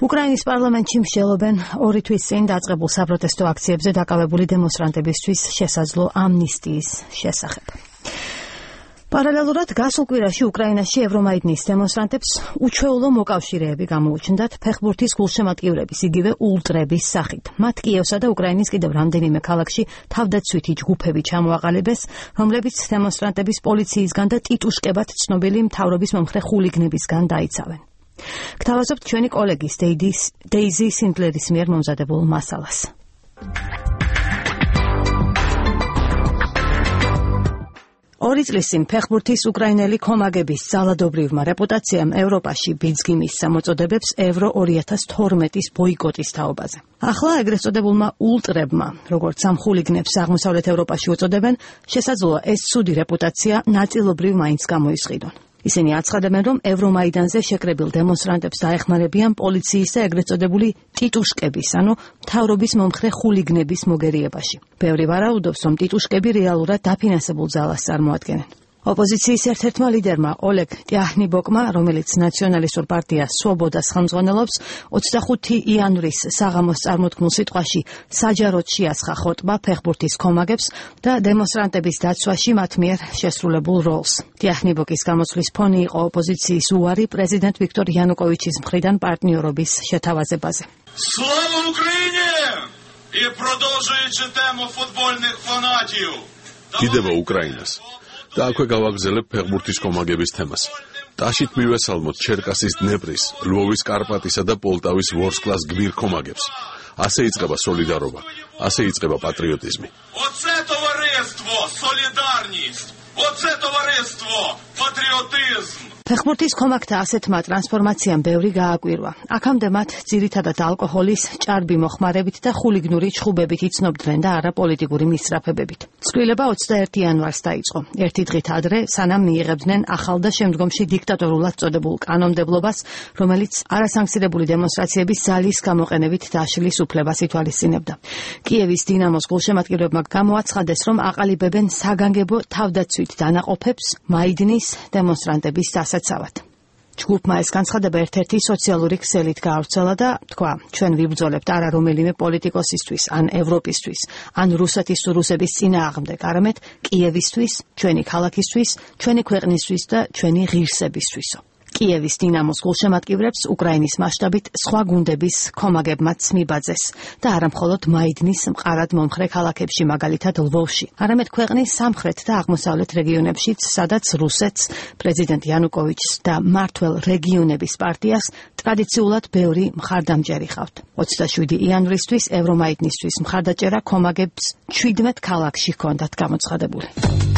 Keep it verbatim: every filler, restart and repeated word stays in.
უკრაინის პარლამენტში მსჯელობენ ორი თვის წინ დაწყებულ საპროტესტო აქციებზე დაკავებული დემონსტრანტებისთვის შესაძლო ამნისტიის შესახებ. Პარალელურად გასულ კვირაში უკრაინაში ევრომაიდნის დემონსტრანტებს უჩვეულო მოკავშირეები გამოუჩნდათ ფეხბურთის გულშემატკივრების იგივე ულტრების სახით. მათ კიევსა და უკრაინის კიდევ რამდენიმე ქალაქში თავდაცვითი ჯგუფები ჩამოაყალიბეს, რომლებიც დემონსტრანტების პოლიციისგან და ტიტუშკებად ცნობილი მთავრობის მომხრე ხულიგნებისგან დაიცავენ. გთავაზობთ ჩვენი კოლეგის დეიზი სინდლერის მიერ მომზადებულ მასალას. ორი წლის წინ ფეხბურთის უკრაინელი კომაგების ძალადობრივმა რეპუტაციამ ევროპაში ბიძგი მისცა მოწოდებებს ევრო ორი ათას თორმეტის ბოიკოტის თაობაზე. ახლა ეგრეთ წოდებულმა ულტრებმა, როგორც ამ ხულიგნებს აღმოსავლეთ ევროპაში უწოდებენ, შესაძლოა ეს ცუდი რეპუტაცია ნაწილობრივ მაინც გამოისყიდონ. ისინი აცხადებენ, რომ ევრომაიდანზე შეკრებილ დემონსტრანტებს დაეხმარებიან პოლიციის და ეგრეთ წოდებული ტიტუშკების, ანუ მთავრობის მომხრე ხულიგნების მოგერიებაში. ბევრი ვარაუდობს, რომ ტიტუშკები რეალურად დაფინანსებულ ძალას წარმოადგენენ. ოპოზიციის ერთ-ერთმა ლიდერმა ოლეგ ტიაჰნიბოკმა, რომელიც ნაციონალისტურ პარტია სვობოდას ხელმძღვანელობს, ოცდახუთი იანვრის საღამოს წარმოთქმულ სიტყვაში საჯაროდ შეასხა ხოტბა ფეხბურთის კომაგებს და დემონსტრანტების დაცვაში მათ მიერ შესრულებულ როლს. ტიაჰნიბოკის გამოსვლის ფონი იყო ოპოზიციის უარი პრეზიდენტ ვიქტორ იანუკოვიჩის მხრიდან პარტნიორობის შეთავაზებაზე. Слава Україні! І продовжуючи тему футбольних фанатів. კიდევა უკრაინას. და აქვე გავაგზელებ ფეხბურთის კომაგების თემას. ტაშით მივესალმოთ ჩერკასის დნეპრის, ლვოვის კარპატისა და პოლტავის ვორსკლას გმირ კომაგებს. ასე იწყება სოლიდარობა, ასე იწყება პატრიოტიზმი. Оце товариство, солідарність. Оце товариство, патріотизм. ფეხბურთის კომაგთა ასეთმა ტრანსფორმაციამ ბევრი გააკვირვა. აქამდე მათ ძირითადად ალკოჰოლის, ჭარბი მოხმარებით და ხულიგნური ჩხუბებით იცნობდნენ და არა პოლიტიკური მისწრაფებებით. ცვლილება ოცდაერთი იანვარს დაიწყო. ერთი დღით ადრე, სანამ მიიღებდნენ ახალ და შემდგომში დიქტატორულად წოდებულ კანონმდებლობას, რომელიც არასანქცირებული დემონსტრაციების ძალის გამოყენებით დაშლის უფლებას ითვალისწინებდა. კიევის დინამოს გულშემატკივრებმა გამოაცხადეს, რომ აყალიბებენ საგანგებო თავდაცვით დანაყოფებს მაიდნის დემონსტრანტების დასაცავად. ჯგუფმა ეს განცხადება ერთ-ერთი სოციალური ქსელით გაავრცელა და თქვა, ჩვენ ვიბრძოლებთ არა რომელიმე პოლიტიკოსისთვის, ან ევროპისთვის, ან რუსეთის თუ რუსების წინააღმდეგ, არამედ კიევისთვის, ჩვენი ქალაქისთვის, ჩვენი ქვეყნისთვის და ჩვენი ღირსებისთვისო. კიევის დინამოს გულშემატკივრებს უკრაინის მასშტაბით სხვა გუნდების კომაგებმაც მიბაძეს და არა მხოლოდ მაიდნის მყარად მომხრე ქალაქებში, მაგალითად ლვოვში, არამედ ქვეყნის სამხრეთ და აღმოსავლეთ რეგიონებშიც, სადაც რუსეთს, პრეზიდენტ იანუკოვიჩს და მმართველ რეგიონების პარტიას ტრადიციულად ბევრი მხარდამჭერი ჰყავთ. ოცდაშვიდი იანვრისთვის ევრომაიდნისთვის მხარდაჭერა კომაგებს ჩვიდმეტ ქალაქში ჰქონდათ გამოცხადებული.